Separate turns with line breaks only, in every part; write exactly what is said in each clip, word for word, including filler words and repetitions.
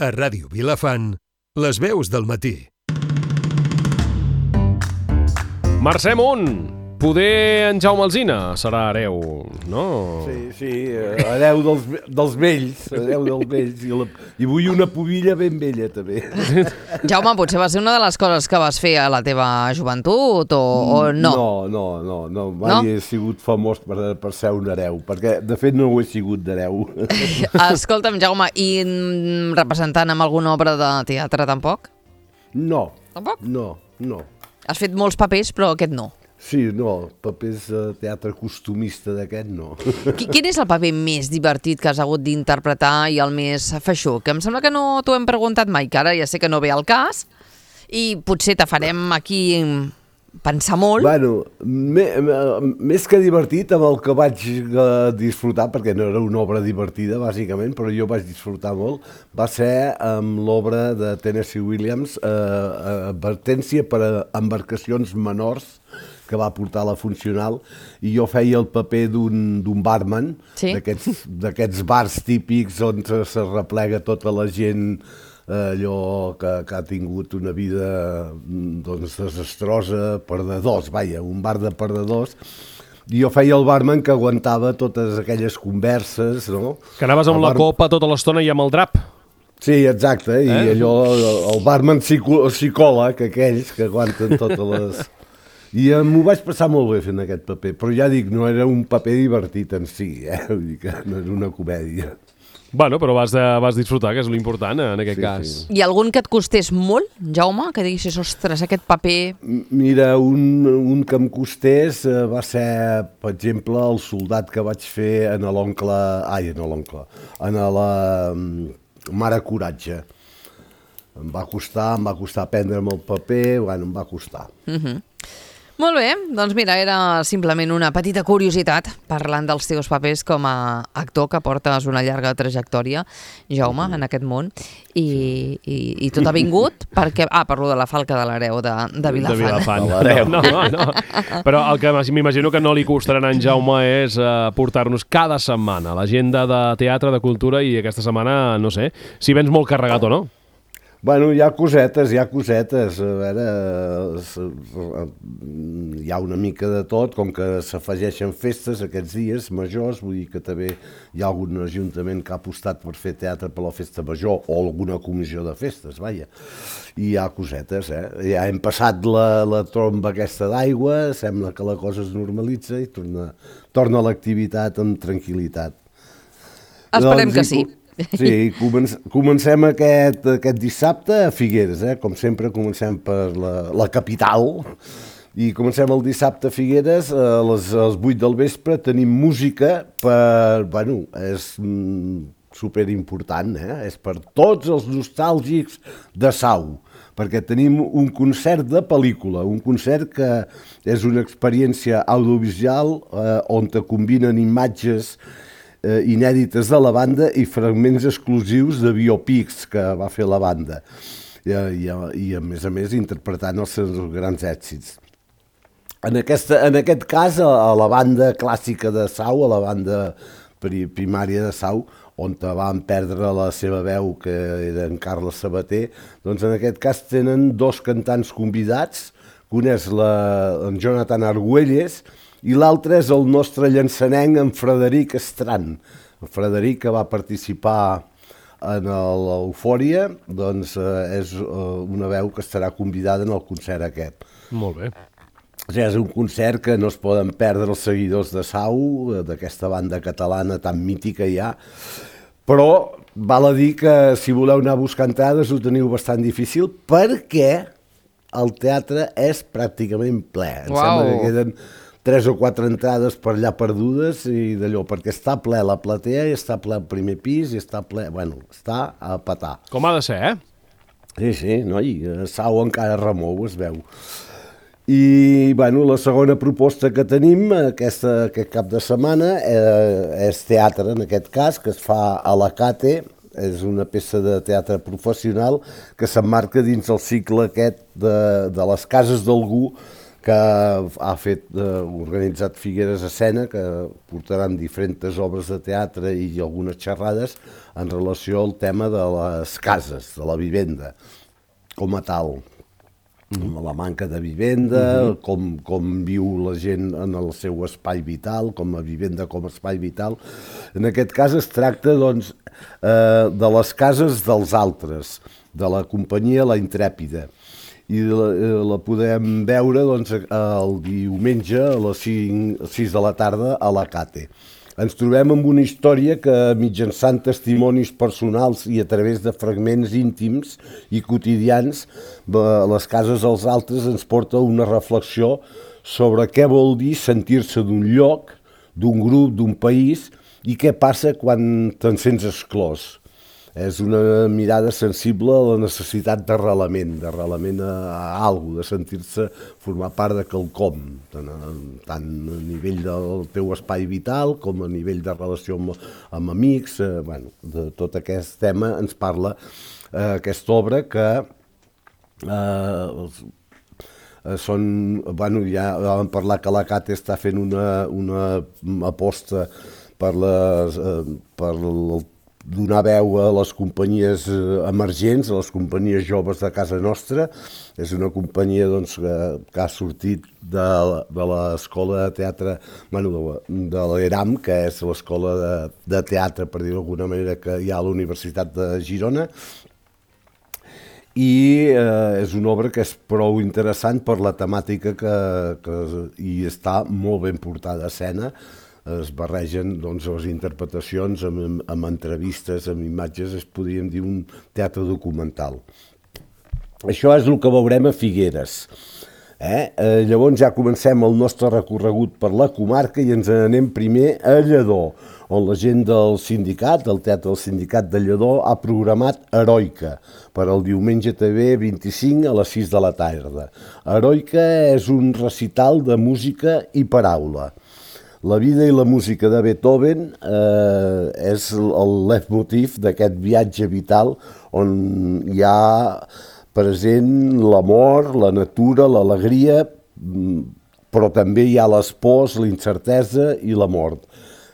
A Ràdio Vilafant, les veus del matí.
Mercè Munt, poder en Jaume Alsina serà hereu, no?
Sí, sí, hereu dels, dels vells, hereu dels vells, i, la, i vull una pubilla ben vella, també.
Jaume, potser va ser una de les coses que vas fer a la teva joventut, o, o no?
No, no, no, no, mai
no?
he sigut famós per, per ser un hereu, perquè de fet no ho he sigut d'hereu.
Escolta'm, Jaume, i representant amb alguna obra de teatre tampoc?
No,
Tampoc?
no, no.
Has fet molts papers, però aquest no.
Sí, no, papers de teatre costumista d'aquest no.
Quin és el paper més divertit que has hagut d'interpretar i el més feixuc? Em sembla que no t'ho hem preguntat mai, que ara ja sé que no ve al cas, i potser te farem aquí pensar molt.
Bueno, me, me, més que divertit, amb el que vaig disfrutar, perquè no era una obra divertida, bàsicament, però jo vaig disfrutar molt, va ser amb l'obra de Tennessee Williams, eh, Advertència per a embarcacions menors, que va portar la Funcional, i jo feia el paper d'un barman,
sí?
d'aquests bars típics on se replega tota la gent allò que, que ha tingut una vida doncs, desastrosa, perdedors, vaja, un bar de perdedors. I jo feia el barman que aguantava totes aquelles converses, no?
Que anaves amb el la bar... copa tota l'estona i amb el drap.
Sí, exacte, i eh? allò, el barman psico, psicòleg, aquells que aguanten totes les... I m'ho vaig passar molt bé fent aquest paper, però ja dic, no era un paper divertit en si, eh? Vull dir que no era una comèdia.
Bueno, però vas, de, vas disfrutar, que és l'important en aquest sí, cas.
Sí. I algun que et costés molt, Jaume? Que diguis, ostres, aquest paper...
Mira, un, un que em costés va ser, per exemple, el soldat que vaig fer en l'oncle... Ai, en l'oncle... En la Mare Coratge. Em va costar, em va costar prendre'm el paper, bueno, em va costar.
Uh-huh. Molt bé, doncs mira, era simplement una petita curiositat parlant dels teus papers com a actor que portes una llarga trajectòria, Jaume, en aquest món, i, i, i tot ha vingut perquè... Ah, parlo de la falca de l'hereu de, de Vilafant.
De Vilafant. No, no, no. Però el que m'imagino que no li costarà a en Jaume és uh, portar-nos cada setmana l'agenda de teatre, de cultura, i aquesta setmana, no sé, si vens molt carregat o no.
Bueno, hi ha cosetes, hi ha cosetes, a veure, hi ha una mica de tot, com que s'afegeixen festes aquests dies majors, vull dir que també hi ha algun ajuntament que ha apostat per fer teatre per la festa major o alguna comissió de festes, vaja, i hi ha cosetes, eh? Ja hem passat la, la tromba aquesta d'aigua, sembla que la cosa es normalitza i torna, torna l'activitat amb tranquil·litat.
Esperem doncs, que sí.
Sí, comencem, comencem aquest, aquest dissabte a Figueres, eh? Com sempre comencem per la, la capital, i comencem el dissabte a Figueres a les, a les vuit del vespre, tenim música per, bueno, és mm, superimportant, eh? És per tots els nostàlgics de Sau, perquè tenim un concert de pel·lícula, un concert que és una experiència audiovisual eh, on te combinen imatges Eh, inèdites de la banda i fragments exclusius de biopics que va fer la banda i, i, i a més a més interpretant els seus grans èxits. En, aquesta, en aquest cas a, a la banda clàssica de Sau, a la banda pri, primària de Sau, on van perdre la seva veu, que era en Carles Sabater, doncs en aquest cas tenen dos cantants convidats, un és la, en Jonathan Argüelles, i l'altre és el nostre llançanenc, en Frederic Estran. El Frederic, que va participar en l'Eufòria, doncs eh, és eh, una veu que estarà convidada en el concert aquest.
Molt bé.
O sigui, és un concert que no es poden perdre els seguidors de Sau, d'aquesta banda catalana tan mítica ja, però val a dir que si voleu anar a buscar entrades ho teniu bastant difícil perquè el teatre és pràcticament ple. Em
Uau.
sembla que queden tres o quatre entrades per allà perdudes i d'allò, perquè està ple la platea i està ple el primer pis i està ple... Bueno, està a petar.
Com ha de ser, eh?
Sí, sí, noi, Sau encara remou, es veu. I, bueno, la segona proposta que tenim aquesta, aquest cap de setmana eh, és teatre, en aquest cas, que es fa a la Cate, és una peça de teatre professional que s'emmarca dins el cicle aquest de, de les cases d'algú que ha fet, eh, organitzat Figueres Escena, que portaran diferents obres de teatre i algunes xerrades en relació al tema de les cases, de la vivenda, com a tal. Mm. La manca de vivenda, mm-hmm. com, com viu la gent en el seu espai vital, com a vivenda com a espai vital. En aquest cas es tracta, doncs, eh, de les cases dels altres, de la companyia La Intrèpida. I la, la podem veure, doncs, el diumenge a les cinc, sis de la tarda a la Cate. Ens trobem amb una història que, mitjançant testimonis personals i a través de fragments íntims i quotidians, les cases dels altres ens porta una reflexió sobre què vol dir sentir-se d'un lloc, d'un grup, d'un país, i què passa quan te'n sents exclòs. És una mirada sensible a la necessitat d'arrelament, d'arrelament a, a alguna cosa, de sentir-se formar part de quelcom, tant a, tant a nivell del teu espai vital com a nivell de relació amb, amb amics. Eh, bueno, de tot aquest tema ens parla eh, aquesta obra que eh, són, bueno, ja vam parlar que la Cate està fent una, una aposta per, les, eh, per el donar veu a les companyies emergents, a les companyies joves de casa nostra. És una companyia, doncs, que, que ha sortit de, de l'escola de teatre, bueno, de, de l'ERAM, que és l'escola de, de teatre, per dir d'alguna manera, que hi ha a la Universitat de Girona. I eh, és una obra que és prou interessant per la temàtica que, que hi està molt ben portada a escena. Es barregen, doncs, les interpretacions amb, amb entrevistes, amb imatges, es podríem dir un teatre documental. Això és el que veurem a Figueres. Eh? Eh, llavors ja comencem el nostre recorregut per la comarca i ens anem primer a Lledó, on la gent del sindicat, del Teatre del Sindicat de Lledó, ha programat Heroica per al diumenge també vint-i-cinc a les sis de la tarda. Heroica és un recital de música i paraula. La vida i la música de Beethoven eh, és el leitmotiv d'aquest viatge vital on hi ha present l'amor, la natura, l'alegria, però també hi ha les pors, la incertesa i la mort.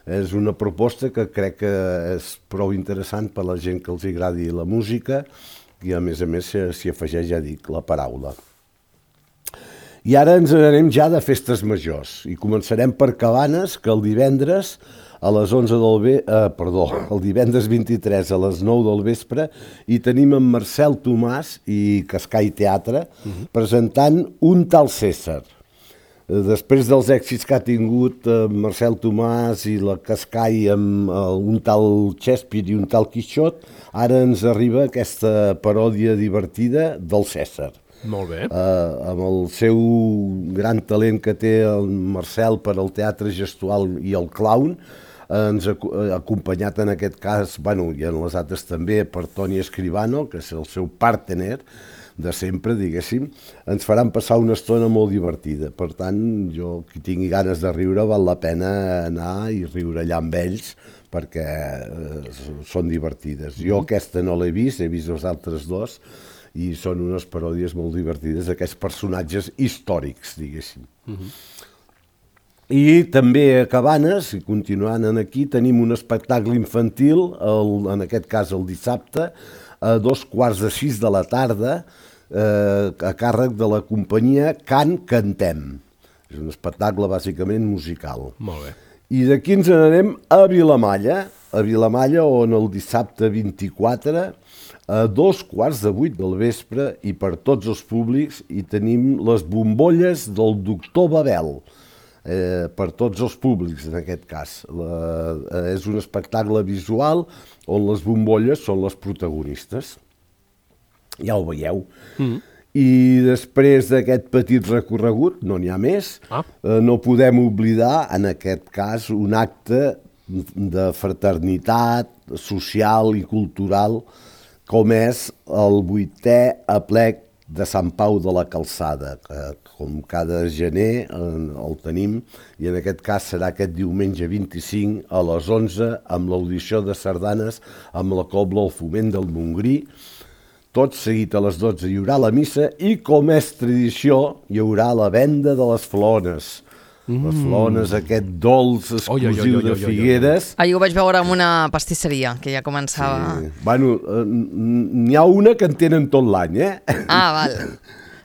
És una proposta que crec que és prou interessant per a la gent que els agradi la música i, a més a més, s'hi afegeix, ja dic, la paraula. I ara ens anem ja de festes majors i començarem per Cabanes, que el divendres a les onze del ve... eh, perdó, el divendres vint-i-tres a les nou del vespre hi tenim en Marcel Tomàs i Cascai Teatre uh-huh. presentant Un tal César. Després dels èxits que ha tingut eh, Marcel Tomàs i la Cascai amb eh, Un tal Shakespeare i Un tal Quixot, ara ens arriba aquesta paròdia divertida del César.
Molt bé.
Uh, amb el seu gran talent que té el Marcel per al teatre gestual i el clown, uh, ens ha acompanyat en aquest cas, bueno, i en les altres també, per Toni Escribano, que és el seu partner de sempre, diguéssim, ens faran passar una estona molt divertida. Per tant, jo, qui tingui ganes de riure, val la pena anar i riure allà amb ells, perquè uh, són divertides. Jo aquesta no l'he vist, he vist els altres dos, i són unes paròdies molt divertides d'aquests personatges històrics, diguéssim. Uh-huh. I també a Cabanes, i continuant aquí, tenim un espectacle infantil, el, en aquest cas el dissabte, a dos quarts de sis de la tarda, eh, a càrrec de la companyia Can Cantem. És un espectacle bàsicament musical.
Molt bé.
I d'aquí ens n'anem a Vilamalla, a Vilamalla, on el dissabte vint-i-quatre, a dos quarts de vuit del vespre, i per tots els públics, hi tenim les bombolles del doctor Babel, eh, per tots els públics en aquest cas. La, eh, és un espectacle visual on les bombolles són les protagonistes. Ja ho veieu. Mm. I després d'aquest petit recorregut, no n'hi ha més, ah. eh, no podem oblidar, en aquest cas, un acte de fraternitat social i cultural, com és el vuitè aplec de Sant Pau de la Calçada, que com cada gener el tenim, i en aquest cas serà aquest diumenge vint-i-cinc a les onze amb l'audició de sardanes amb la Cobla al Foment del Montgrí. tot seguit a les dotze hi haurà la missa i, com és tradició, hi haurà la venda de les flones. Mm. Les flones, aquest dolç exclusiu de Figueres.
Ahir ho vaig veure en una pastisseria, que ja començava...
Sí. Bueno, n'hi ha una que en tenen tot l'any, eh?
Ah, val.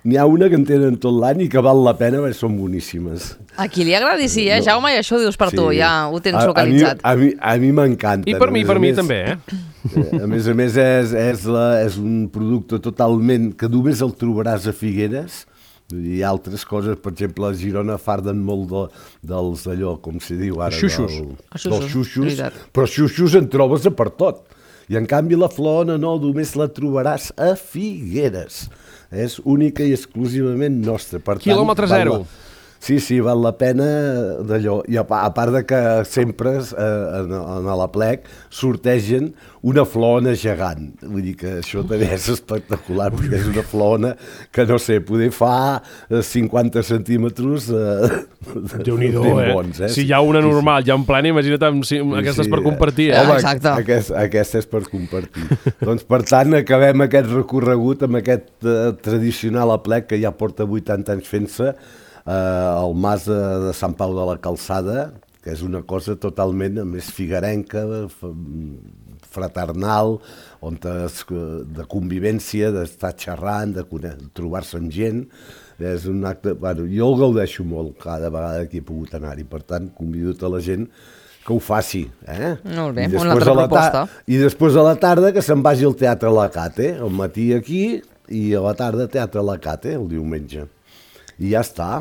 N'hi ha una que en tenen tot l'any i que val la pena perquè són boníssimes.
A qui li agradi, sí, eh,
No.
Jaume? I això ho dius per
Sí.
tu, ja ho tens
A-
localitzat.
A mi, a mi, a mi m'encanta.
I per mi, per mi
més,
també, eh?
A més a més, és, és, la, és un producte totalment que només el trobaràs a Figueres. Vull dir, hi ha altres coses, per exemple, a Girona farden molt de, dels allò, com se diu ara,
Xuxos.
del,
Els xuxos,
dels xuxos,
veritat.
però xuxos en trobes a per tot. I en canvi la flona no, només la trobaràs a Figueres. És única i exclusivament nostra. Per tant,
Quilòmetre
val
zero.
la- Sí, sí, val la pena d'allò. I a, pa- a part de que sempre eh, en, en l'Aplec sortegen una flona gegant. Vull dir que això també és espectacular, perquè és una flona que, no sé, poder fa eh, cinquanta centímetres eh,
Déu-n'hi-do,
ben
eh?
bons, eh?
Si hi ha una normal, ja en plena, imagina't amb si, aquestes per compartir, eh?
Home, exacte.
Aquest, aquesta és per compartir. Doncs, per tant, acabem aquest recorregut amb aquest eh, tradicional aplec que ja porta vuitanta anys fent-se, eh, al mas de, de Sant Pau de la Calçada, que és una cosa totalment a més figuerenca, f- fraternal, on es, de convivència, d'estar xerrant, de cone- trobar-se amb gent. És un acte... Bueno, jo el gaudeixo molt cada vegada que he pogut anar-hi, per tant, convido tota la gent que ho faci. Eh?
Molt bé,
I
una
després
altra
a la ta-
proposta.
I després a la tarda que se'n vagi al Teatre Lacate, al matí aquí i a la tarda Teatre Lacate, el diumenge. I ja està.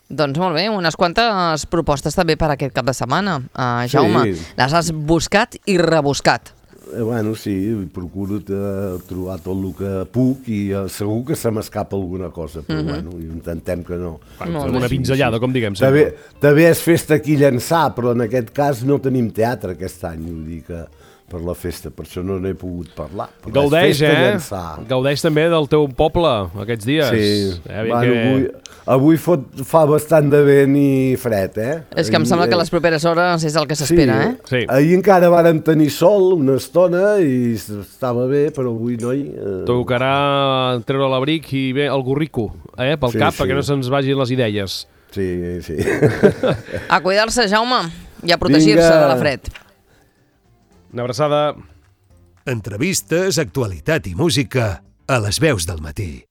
Doncs molt bé, unes quantes propostes també per aquest cap de setmana. Uh, Jaume,
Sí.
les has buscat i rebuscat.
Eh, bueno, sí, procuro eh, trobar tot el que puc i eh, segur que se m'escapa alguna cosa, però
Mhm.
bueno, intentem que no.
Molt
Fem
bé.
una pinzellada, com diguem
També,
sempre.
també és festa aquí a Llançà, però en aquest cas no tenim teatre aquest any, vull dir que per la festa, per això no n'he pogut parlar. Però és
Gaudeix,
festa a
eh?
Llançà.
Gaudeix també del teu poble aquests dies.
Sí,
Eh,
bueno,
que...
avui, avui fot, fa bastant de vent i fred, eh?
És que em sembla que les properes hores és el que s'espera, eh?
Sí.
Ahir encara vàrem tenir sol una estona i estava bé, però avui no hi... Eh...
Tocarà treure l'abric i bé el gorrico, eh, pel
Sí,
cap,
sí.
perquè no se'ns vagin les idees.
Sí, sí.
A cuidar-se, Jaume, i a protegir-se
Vinga.
de la fred.
Una abraçada.
Entrevistes, actualitat i música a les veus del matí.